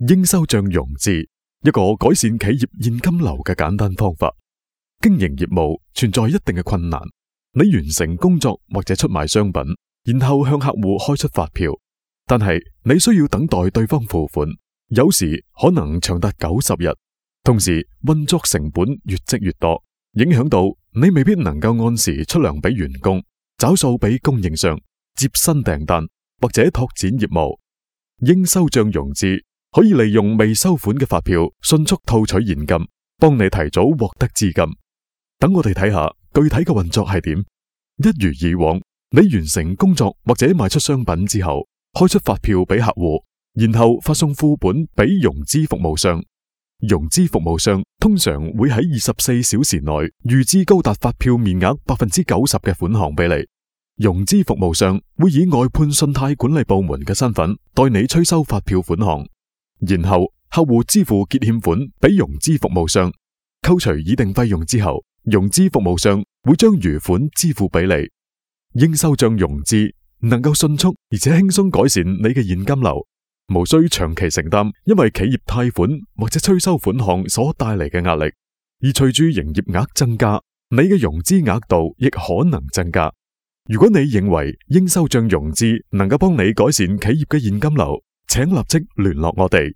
應收賬融資，一個改善企業現金流嘅簡單方法。經營業務存在一定嘅困難，你完成工作或者出賣商品，然後向客戶開出發票，但係你需要等待對方付款，有時可能長達90日，同時運作成本越積越多，影響到你未必能夠按時出糧俾員工，找數俾供應商，接新訂單或者拓展業務。應收賬融資可以利用未收款嘅發票迅速套取現金，幫你提早獲得資金。等我哋睇下具體嘅運作係點。一如以往，你完成工作或者賣出商品之後，開出發票俾客戶，然後發送副本俾融資服務商。融資服務商通常會喺24小時內預支高達發票面額90%嘅款項俾你。融資服務商會以外判信貸管理部門嘅身份代你催收發票款項，然後客戶支付結欠款俾融資服務商，扣除擬定費用之後，融資服務商會將餘款支付俾你。應收賬融資能夠迅速而且輕鬆改善你嘅現金流，無需長期承擔因為企業貸款或者催收款項所帶嚟嘅壓力。而隨住營業額增加，你嘅融資額度亦可能增加。如果你認為應收賬融資能夠幫你改善企業嘅現金流，請立即聯絡我哋。